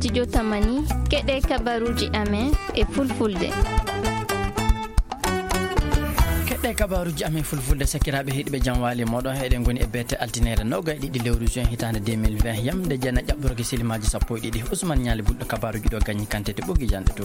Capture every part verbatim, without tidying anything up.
Studio Tamani, keɗe kabaruji amen e fulfulde. Keɗe kabaruji amen fulfulde, sakiraaɓe heɗiɓe, jam waali mooɗon. Eɗen ngoni e beete altine nogay e ɗiɗi lewru juin hitaande deux mille vingt, yamde jeena ƴaɓɓorki silimaaji sappo e ɗiɗi. Ousmane Ñaali Bulɗo kabaruji ɗo gañi kantete ɓoggi jande to.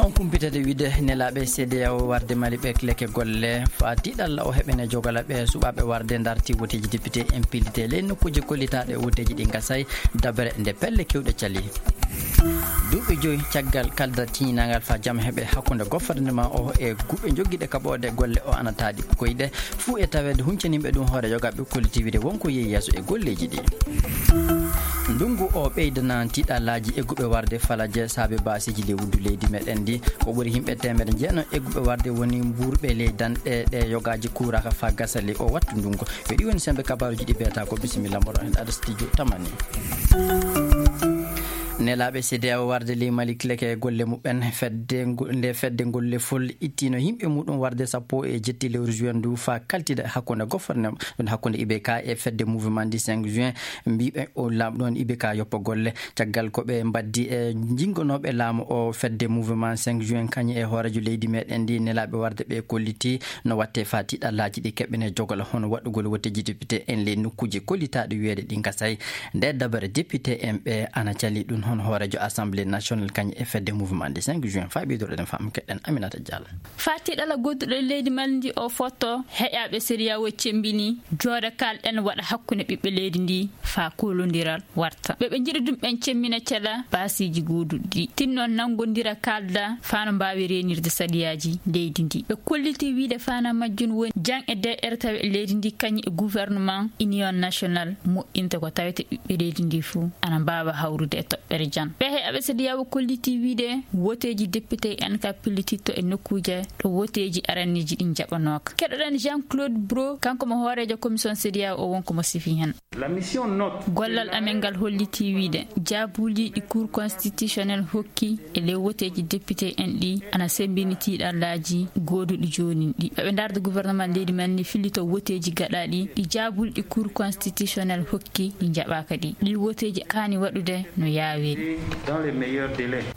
On kumpitade wiide nelaaɓe C D A O warde Mali ɓe kileke golle faa tiiɗalla o heɓene jogala ɓe suɓaaɓe warde darti woteeji député en pillite ley nokkuuje kollitaaɗe woteeji ɗi gasay dabere nde pelle kewɗe cali. Duuɓi joyi caggal kalda tiñinangal faa jam heɓe hakkunde gouvernement o e guuɓe joggiiɗe kaɓoode golle o ana taaɗi koyɗe fuu e taweede huncaniiɓe ɗum hoore yogaaɓe kolliti wiide wonko yehi yeeso e golleeji ɗi. Ndunngu o ɓeydana tiiɗallaaji e guuɓe warde falaje saabe baasiiji lewru leydi meɗen ndi. Ko ɓuri yimɓe teemedde jeenayi e guuɓe warde woni mbuurɓe ley danɗe ɗe yogaaji kuuraaka faa gasa ley o wattu ndunngu. Ko ɗi woni sembe kabaruji ɗi beeta ko bisimilla moɗon hen ada studio Tamani. Nelaaɓe C D A O warde ley Mali kileke golle muɓɓen fedde ngu-, nde fedde ngol lefol ittino yimɓe muɗum warde sappo e jetti lewru juin ndu faa kaltida hakkunde gouvernement, ɗum hakkunde I B K e fedde mouvement du cinq juin. Mbiɓe o laamu ɗon I B K yoppa golle. Caggal ko ɓe mbaddi e jingonooɓe laamu o fedde mouvement cinq juin kañum e hooreejo leydi meɗen ndi nelaaɓe warde ɓe kolliti no watte faa tiiɗallaaji ɗi keɓɓene jogala hono waɗugol woteeji député en ley nokkuuje kollitaaɗe wiyeede ɗi gasay. Nde dabare député en ɓe ana cali ɗum hono hooreejo assemblée nationale kañum e fedde mouvement du cinq juin. Faa ɓeyduɗen faamu keɗen Aminata Diallo. Faa tiiɗalla godduɗo e leydi Mali ndi o fotto heƴaaɓe C D A O cemmbini jooɗa kaalɗen waɗa hakkunde ɓiɓɓe leydi ndi faa koolondiral warta. Ɓe ɓe njiɗi ɗum ɓen cemmina cela baasiiji gooduɗi ɗi. Tinno nanngondira kaalda faa no mbaawi reenirde sariyaaji leydi ndi. Ɓe kolliti wiide faana majjum woni jang e D R tawi e leydi ndi kañum e gouvernement union national moƴƴinta ko tawete ɓiɓɓe leydi ndi fuu ana mbaawa hawrude e toɓɓere jam. Ɓe heɓɓe C D A O kolliti wiide woteeji député en ka pillititto e nokkuuje ɗo woteeji aranniiji ɗin jaɓanooka. Keɗoɗen Jean-Claude Bro, kanko mo hooreejo commission C D A O wonko mo sifi hen. Gollal amen ngal holliti wiide jaabuuli ɗi Cour constitutionnelle hokki e ley woteeji député en ɗi ana sembini tiiɗallaaji gooduɗi joonin ɗi. Ɓe ɓe ndarda gouvernement leydi men ni fillito woteeji gaɗaaɗi ɗi jaabuuli ɗi Cour constitutionnelle hokki ɗi jaɓaaka ɗi. Ɗi woteeji kaani waɗude no yaawiri.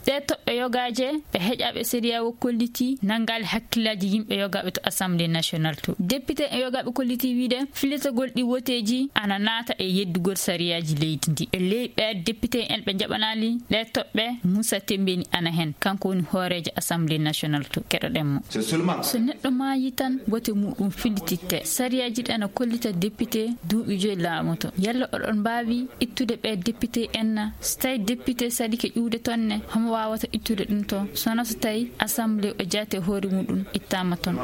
Ɗee toɓɓe yogaaje ɓe heƴaaɓe C D A O kolliti nanngaali hakkillaaji yimɓe yogaaɓe to Assemblée nationale to. Député e yogaaɓe kolliti wiide fillitagol ɗi woteeji ana naata e yeddugol sariyaaji leydi ndi. E ley ɓee député en ɓe njaɓanaali ɗee toɓɓe, Moussa Tembeni ana hen. Kanko woni hooreejo Assemblée nationale to. Keɗoɗen mo. So neɗɗo maayi tan, wote muɗum fillititte. Sariyaaji ɗi ana kollita député duuɓi joyi laamoto. Yalla oɗon mbaawi ittude ɓee député en na? So tawi député saɗike ƴuwde toon ne, homo waawata ittude ɗum to? Sona so tawi Assemblée o jaati hoore muɗum ittaama toon.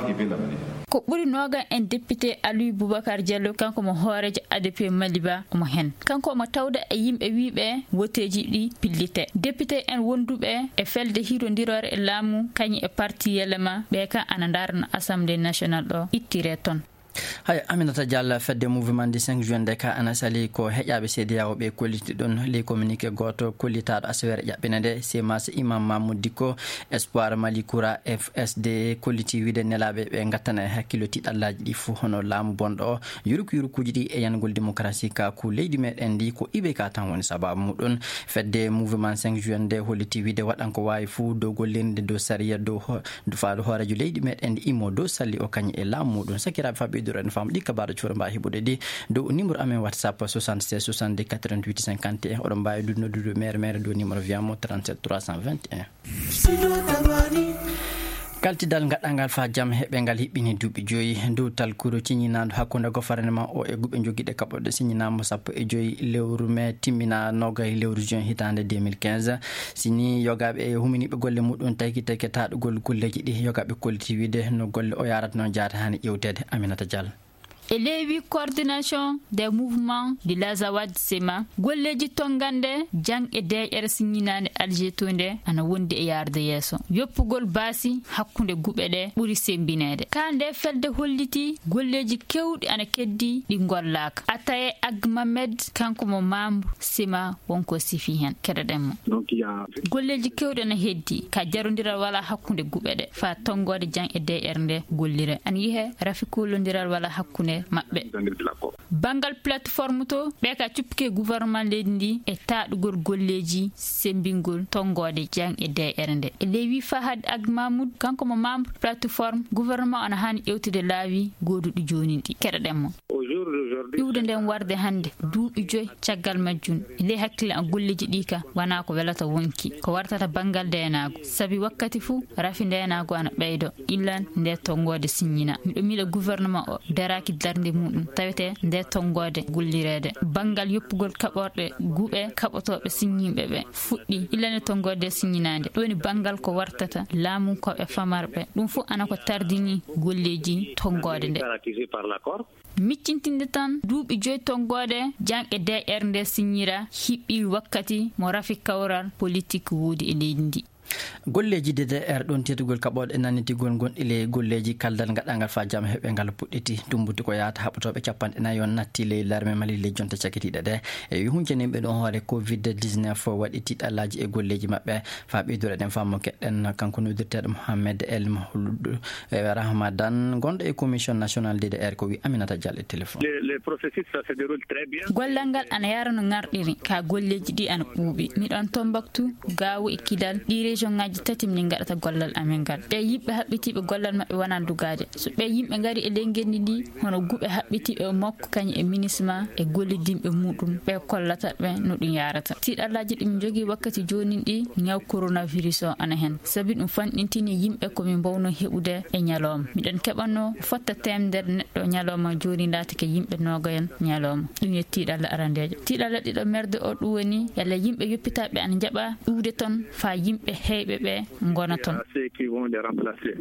Ko ɓuri noogan en député Aliou Boubacar Diallo, kanko mo hooreejo A D P Maliba, omo hen. Kanko omo tawda e yimɓe wiiɓe woteeji ɗi pillite. Député en wonduɓe e felde hirondiroore e laamu, kañum e parti Yelema, ɓe ka ana ndarna Assemblée nationale ɗo ittire toon. Hay Aminata Diallo, fedde mouvement du cinq juin nde ka ana sali ko heƴaaɓe C D A O ɓe kolliti ɗon. Ley communiqué gooto kollitaaɗo asawere ƴaɓɓina nde, Semas Imam Mamoud Dicko, Espoir Mali Koura, F S D, kolliti wiide nelaaɓe ɓe ngattana e hakkillo tiiɗallaaji ɗi fof hono laamu bonɗo o, yuruk yurukuuji ɗi e yangol démocratie ka ku leydi meɗen ndi ko I B K tan woni sababu muɗum. Fedde mouvement cinq juin nde holliti wiide waɗan ko waawi fof dow gollirde dow sariya dow ho-, faaɗo hooreejo leydi meɗen ndi immo dow salli o kañum e laamu muɗum. Sakiraaɓe, faa ɓeyduɗen faamu ɗi kabaaru cuura mbaawi heɓude ɗi dow numéro amen WhatsApp soixante-seize soixante-deux quatre-vingt-huit cinquante et un. Oɗon mbaawi ɗum noddude mere mere dow numéro wiyamo trente-sept trois cent vingt et un. Kaltidal gaɗangal faa jam heɓe ngal hiɓɓini duuɓi joyi dow talkuru ciñinaandu hakkunde gouvernement o e guɓe jogiiɗe kaɓorɗe siñinaama sappo e joyi lewru mai timmina nogay lewru juin hitaande deux mille quinze. Si ni yogaaɓe e huminiiɓe golle muɗum tawki tawke taɗugol golleeji ɗi yogaaɓe kolliti wiide no golle o yaarata noon jaata hani ƴewteede. Aminata Diallo. E ley wi coordination des mouvements de l'Azawad Sema, golleeji tonngande jang e deeƴere siñinaande Alger to nde ana wondi e yaarde yeeso. Yoppugol baasi hakkunde guɓe ɗe ɓuri sembineede. Ka nde fedde holliti golleeji kewɗi ana keddi ɗi ngollaaka. Ataye Ag Mamed, kanko mo membre Sema, wonko sifi hen. Keɗoɗen mo. Golleeji kewɗi ana heddi ka jarondiral wala hakkunde guɓe ɗe faa tonngoode jang e deeƴere nde gollire. Ana yihe rafi kullondiral wala hakkunde maɓɓe. Banngal plateforme to, ɓe ka cuppike gouvernement leydi ndi e taɗugol golleeji sembingol tonngoode jang e D R nde. E ley wi Fahad Ag Mahmoud, kanko mo membre plateforme, gouvernement ana haani ƴewtude laawi gooduɗi jooni ɗi. Keɗoɗen mo. Iwde nden warde hannde, duuɓi joy caggal majjum, e ley hakkille an golleeji ɗi ka, wonaa ko welata wonki, ko wartata banngal ndeenaagu. Sabi wakkati fuu, rafi ndeenaagu ana ɓeydo, illan nde tonngoode siññina. Miɗo miila gouvernement o daraaki darnde muɗum, tawete nde tonngoode gollireede. Banngal yoppugol kaɓorɗe guuɓe kaɓotooɓe siññinɓe ɓe fuɗɗi, illan nde tonngoode siññinaande. Ɗum woni banngal ko wartata laamunkooɓe famarɓe. Ɗum fof ana ko tardini golleeji tonngoode nde. Miccintinde tan, duuɓi joy tonngoode jang e D R nde siññira hiɓɓi wakkati mo rafi kawral politik woodi e leydi ndi. Golleeji D D R ɗon teddugol kaɓooɗe nannitigol gonɗi ley golleeji kaldal gaɗangal faa jam heɓe ngal puɗɗiti. Tumbuti ko yaata haɓotooɓe capanɗe nayi on natti ley larme Mali ley jonte cakitiiɗe ɗe. E wi huncaninɓe ɗon hoore covid dix-neuf waɗi tiiɗallaaji e golleeji maɓɓe. Faa ɓeyduɗen faamu keɗen kanko noddirteeɗo Mohamed El Mahloud, eh, Rahmadan, gonɗo e Commission Nationale D D R, ko wi Aminata Diallo e téléphone. Le, le processus, ça se déroule très bien. Gollal ngal ana yara no ngarɗiri, ka golleeji ɗi ana ɓuuɓi. Miɗon Tombouctou, Gao e Kidal, ɗi région ngaji tati min gaɗata gollal amen ngal. Ɓe yimɓe haɓɓitiiɓe gollal maɓɓe wonaa dugaade. So ɓe yimɓe ngari e ley ngenndi ndi, hono guuɓe haɓɓitiiɓe e makko, kañum e MINUSMA e gollidinɓe muɗum, ɓe kollata ɓe no ɗum yarata. Tiiɗallaaji ɗi min njogii wakkati jooni ɗi, ñaw coronavirus o ana hen. Sabi ɗum fanɗintini yimɓe ko min mbawno heɓude e ñalawma. Miɗen keɓanno fotta teemedere neɗɗo ñalawma, jooni laatike yimɓe noogayon ñalawma. Ɗum yo tiiɗalla arandeejo. Tiiɗalla ɗiɗo merde o ɗum woni, yalla yimɓe yoppitaaɓe ana njaɓa iwde toon, faa yimɓe heyɓe ɓe ngona toon. Ceux qui vont les remplacer.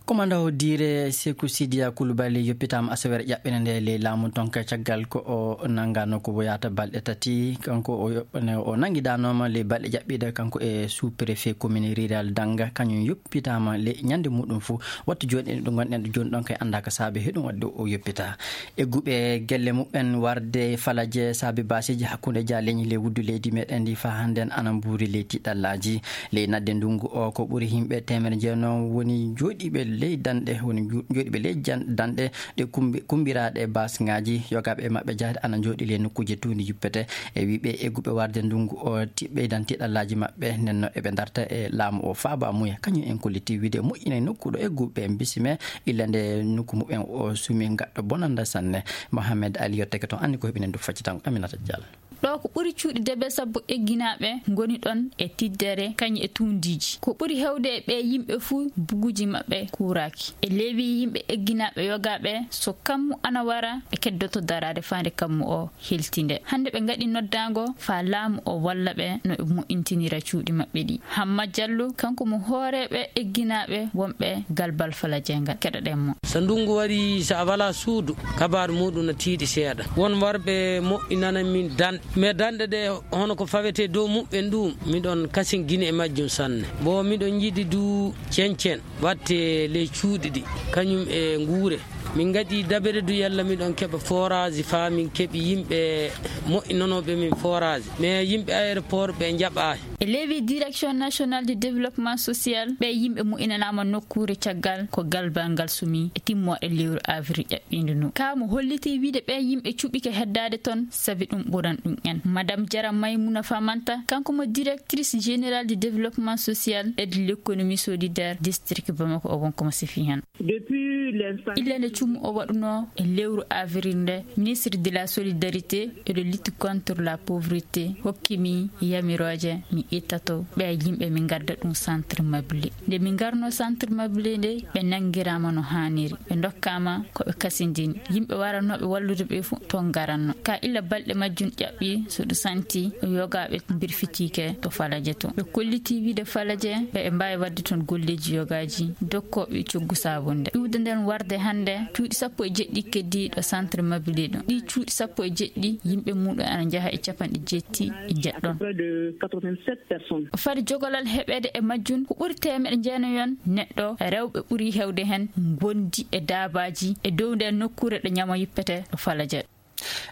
Commandant o diire Seku Sidiya Koulibaly yoppitaama asaweere ƴaɓɓinde nde ley laamu tonka caggal ko o nanngaano ko woyaata balɗe tati. Kanko o yo-, o nanngidanooma ley balɗe ƴaɓɓiiɗe kanko e sous-préfet commune rurale Danga, kañum yoppitaama ley ñande muɗum fof. Wattu jooni ɗo ngonɗen ɗo jooni ɗon kay anndaa ko saabi heɗum waɗde o yoppita. Egguɓe gelle muɓɓen warde falaje saabi baasiiji hakkunde jaaleñi ley wuddu leydi meɗen ndi faa hannden ana mbuuri ley tiɗallaaji. Ley nadde ndungu o, ko ɓuri yimɓe teemedere jeenom woni jooɗiiɓe ley danɗe, woni ju-, jooɗiiɓe ley jan-, danɗe ɗe kumbi-, kumbiraaɗe baasŋaaji. Yogaaɓe e maɓɓe jahde ana njooɗi ley nokkuuje tuundi juppete. E wiɓe egguɓe warde ndungu o ti-, ɓeydan tiɗallaaji maɓɓe, nden no eɓe darta e laamu o faaba muya. Kañum en kolliti wiide moƴƴina nokku ɗo egguɓe en bisime, illa nde nokku muɓɓen o sumi gaɗɗo bonanda sanne. Mohamed Ali yottake toon, anndi ko heɓinen du faccitango Aminata Diallo. Ɗo ko ɓuri cuuɗi debe sabbo egginaaɓe ngoni ɗon e tiddere kañum e tuundiiji. Ko ɓuri heewde e ɓee yimɓe fuu buguuji maɓɓe kuuraaki. E leewi yimɓe egginaaɓe yogaaɓe, so kammu ana wara, ɓe keddoto daraade faa nde kammu o heltinde. Hannde ɓe ngaɗi noddaango faa laamu o walla ɓe no ɓe moƴƴintinira cuuɗi maɓɓe ɗi. Hamma Jallo, kanko mo hooreeɓe egginaaɓe wonɓe Galbal Falaje ngal. Keɗoɗen mo. So ndunngu warii, so a walaa suudu, kabaaru muuɗum no tiiɗi seeɗa. Won warɓe moƴƴinana min danɗe. Mais danɗe ɗe, hono ko fawetee dow muɓɓen ɗum, miɗon kasingini e majjum sanne. Bo miɗon yiɗi du cencen watte ley cuuɗi ɗi, kañum e nguure. Min ngaɗi dabere du yalla miɗon keɓa forage faa min keɓi yimɓe moƴƴinanooɓe min forage. Mais yimɓe aéroport ɓe njaɓaaki. E leewi Direction Nationale du Développement Social, ɓee yimɓe moƴƴinanaama nokkuure caggal ko galbal ngal sumi e timmooɗe lewru avril ƴaɓɓiindu ndu. Kaa mo hollitii wiide ɓee yimɓe cuɓike heddaade toon, sabi ɗum ɓuran ɗum en. Madame Jara Maymuna Famanta, kanko mo directrice générale du développement social et de l'économie solidaire district Bamako, o wonko mo sifi heen. Depuis l'instant. Illa nde cumu o waɗunoo e lewru avril nde, ministre de la solidarité et de lutte contre la pauvreté hokki mi yamirooje mi ittato ɓee yimɓe, mi ngadda ɗum centre meublé. Nde mi ngarnoo centre meublé nde, ɓe nanngiraama no haaniri, ɓe ndokkaama ko ɓe kasindini. Yimɓe waranooɓe wallude ɓe fof toon ngaranno. Ka illa balɗe majjum ƴaɓɓi, so ɗum santi, yogaaɓe mbirfitiike to Falaje to. Ɓe kollitii wiide Falaje, ɓe, ɓe mbaawi waɗde toon golleeji yogaaji, dokkooɓe coggu saabunde. Iwde nden warde hannde, cuuɗi sappo e jeɗɗi keddii ɗo centre meublé ɗum. Ɗii cuuɗi sappo e jeɗɗi, yimɓe muuɗum ana njaha e capanɗe jeetti e jeɗɗon. Près de quatre-vingt-sept personnes. Fade jogolal heɓeede e majjum, ko ɓuri teemeɗe jeenayon neɗɗo, rewɓe ɓuri heewde heen, ngondi e daabaaji e dow nden nokkuure ɗo ñamo yippete ɗo Falaje.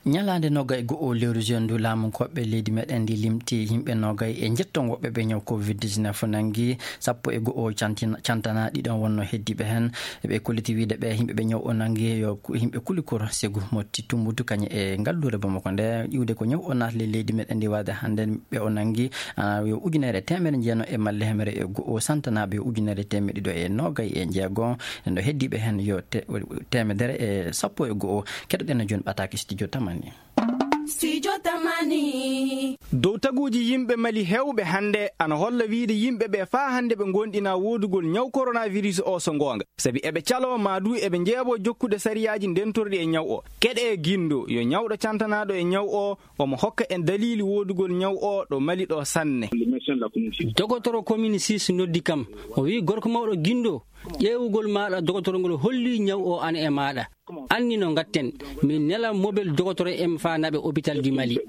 Ñalaande nogay e go'o lewru juin ndu, laamu koɓɓe leydi meɗen ndi limti yimɓe nogay e njetton woɓɓe ɓe ñaw covid dix-neuf nangi, sappo e go'o cantina-, cantana ɗiɗon wonno heddiiɓe heen. Ɓe kolliti wiide ɓe yimɓe ɓe ñaw o nangi yo ku-, yimɓe kulikor segu motti tumbutu kañe e ngalluure Bamako nde, iwde ko ñaw o naatli leydi meɗen ndi waade hannde ɓe o nangi, ah, yo ujunere teemedere jeenayi e malle hemere e go'o, santanaaɓe yo ujunere teemedde ɗiɗo e nogay e jeego. Nden ɗo heddiiɓe heen yo te-, teemedere e sappo e go'o. Keɗoɗen no jooni ɓataake studio Tamani. Studio Tamani. Dow taguuji yimɓe Mali heewɓe hannde ana holla wiide yimɓe ɓe faa hannde ɓe ngoonɗinaa woodugol ñaw coronavirus o so ngoonga. Sabi eɓe caloo maa duu eɓe njeeɓoo jokkude sariyaaji ndentorɗi e ñaw o. Keɗee Gindo yo ñawɗo cantanaaɗo e ñaw o, omo hokka en daliili woodugol ñaw o ɗo Mali ɗo sanne. Dogotoro Commune six noddi kam. O wi'i, "Gorko mawɗo Gindo, ƴeewugol maaɗa dogotoro ngol holli ñaw o ana e maaɗa. Anni no ngatten, min nela mobel dogotoro en faa naɓe hôpital du Mali."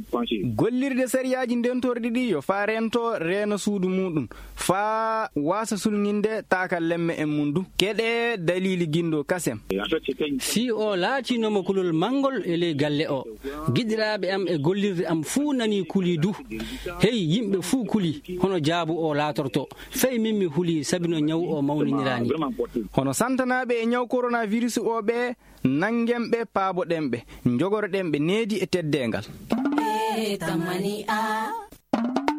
Gollirde sariyaaji ndentorɗi ɗi yo faa reento reena suudu muuɗum, faa waasa sulŋinde taakallemme en mum du. Keɗee daliili Gindo kasem. Fii o laatinooma kulol manngol e ley galle o. Giɗiraaɓe am e gollirde am fuu nanii kulii du. Hey, yimɓe fuu kulii, hono jaabu o laatorto. Fay min mi hulii sabi no ñaw o mawniniraani. Hono santanaaɓe e ñaw coronavirus o ɓe, nanngen ɓe, paaboɗen ɓe, njogoroɗen ɓe needi e teddeengal. Eh, Tamani a.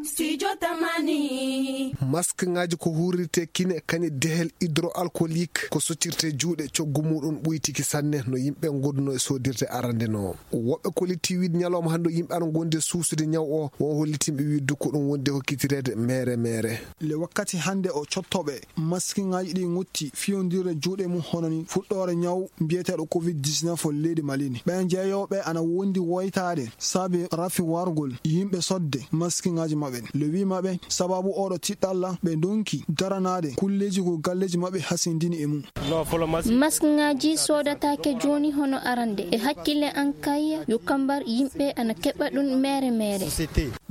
Studio Tamani. Maskŋaaji ko huurirtee kine, kañe dehel hydroalcoolique, ko soccirtee juuɗe, coggu muuɗum ɓuytiki sanne no yimɓe ngonduno e soodirde arande no. Woɓɓe kolliti wiide ñalawma hannde o yimɓe ana ngondi e suusude ñaw o, won hollitinɓe wiide ko ɗum wondi e hokkitireede meere meere. Le wakkati hannde o cottooɓe maskŋaaji ɗi ŋutti fiyondirde juuɗe mum hono ni fuɗɗoore ñaw mbiyeteeɗo covid dix-neuf o leydi Mali ni. Ɓen jeeyooɓe ana wondi woytaade sabi rafi wargol yimɓe sodde maskŋaaji maɓɓe. Le wi maɓɓe sababu oɗo tiɗɗalla ɓe ndonki daranaade kulleeji ko galleeji maɓɓe hasindini e mum. Maskŋaaji soodataake jooni hono arande. E hakkille an kay, yo kambar yimɓe ana keɓa ɗum meere meere.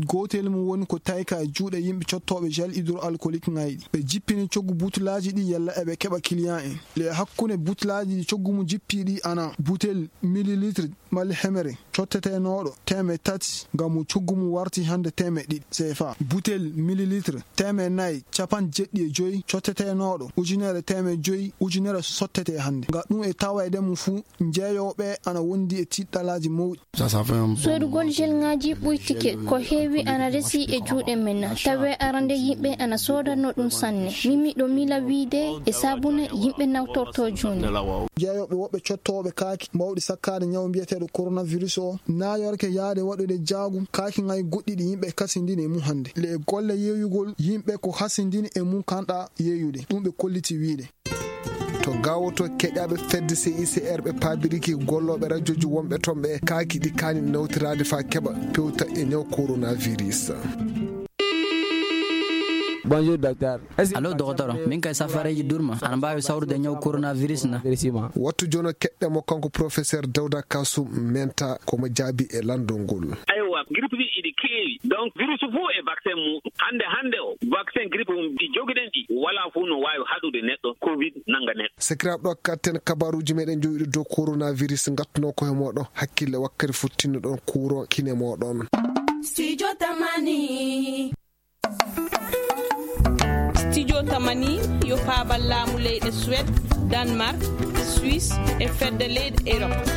Gootel mum woni ko tayka e juuɗe yimɓe cottooɓe gel hydroalcoolique ŋayɗi. Ɓe jippini coggu butulaaji ɗi yalla eɓe keɓa client en. Le hakkunde butulaaji ɗi coggu mum jippi ɗi ana butel millilitre malla hemere cottetenooɗo teemeɗɗe tati, ngam mo coggu mum warti hannde teemeɗɗe ɗiɗi C F A. Butel millilitre teemeɗɗe nayi capanɗe jeɗɗi e joyi cottetenooɗo ujunere teemeɗɗe joyi ujunere sottete hannde. Ngam ɗum e tawayde mum fuu, jeeyooɓe ana wondi e tiɗɗalaaji mawɗi. Soodugol gelŋaaji ɓuytike ko heewi ana resi e juuɗe men. Tawi arande yimɓe ana soodano ɗum sanne. Min miɗo miila wiide e saabune yimɓe nawtorto jooni. Jeeyooɓe woɓɓe cottooɓe kaaki mawɗi sakkaade ñaw mbiyeteeɗo coronavirus o naayorke yaade waɗude jaagu kaaki ŋay goɗɗi ɗi yimɓe kasindini e mum hannde. Le e golle yeeyugol yimɓe ko hasindini e mum kanɗa yeeyude. Ɗum ɓe kolliti wiide. To Gaawo to, keɗaaɓe fedde C I C R ɓe paabiriki gollooɓe rajooji wonɓe toon ɓe kaaki ɗi kaani nawtiraade faa keɓa pewta e ñaw coronavirus. Bonjour, docteur. Allo, dogotoro. Min kay safareeji durma. Ana mbaawi sawrude ñaw coronavirus na? Wattu jono keɗɗe mo kanko professeur Dawda Kasum Menta ko mo jaabi e lanndol ngol. Aywa, grippe ɗi iɗi keewi. Donc, virus fof e vaccin muɗum. Hannde, hannde o, vaccin grippe mum ɗi jogiɗen ɗi, walaa fof no waawi haɗude neɗɗo, covid nannga neɗɗo. Sakiraaɓe, ɗo katten kabaruuji meɗen jowiɗo dow coronavirus, ngattuno ko he moɗon hakkille wakkati fottinno ɗon kuuron kine moɗon. Studio Tamani. Studio Tamani yo paabal laamu leyɗe Suède, Danemark, Suisse e fedde leyɗe Europe.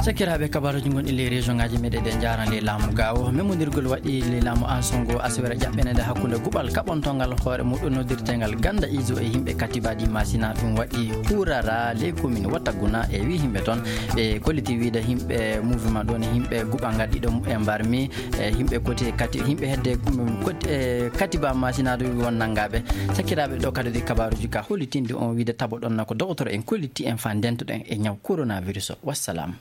Sakiraaɓe, kabaruuji gonɗi ley région ngaji meɗen ɗe jaaran ley laamu Gaawo. Memmondirgol waɗi ley laamu Anso ngo asawere ƴaɓɓenede hakkunde guɓal kaɓontongal hoore muɗum noddirtengal Ganda Izo e yimɓe Katiba ɗi Masina. Ɗum waɗi Kurara ley commune Wataguna e wi yimɓe toon. Ɓe kolliti wiide yimɓe mouvement ɗon e yimɓe guɓal ngal ɗiɗo e mbarmi. E yimɓe koti kati, yimɓe hedde, mm, koti, e Katiba Masina ɗo won nanngaɓe. Sakiraaɓe, ɗo kadi ɗi kabaruuji ka hollitinde on wiide tabo ɗon na ko dogotoro en kolliti en faa ndentoɗen e ñaw coronavirus o. Wassalam.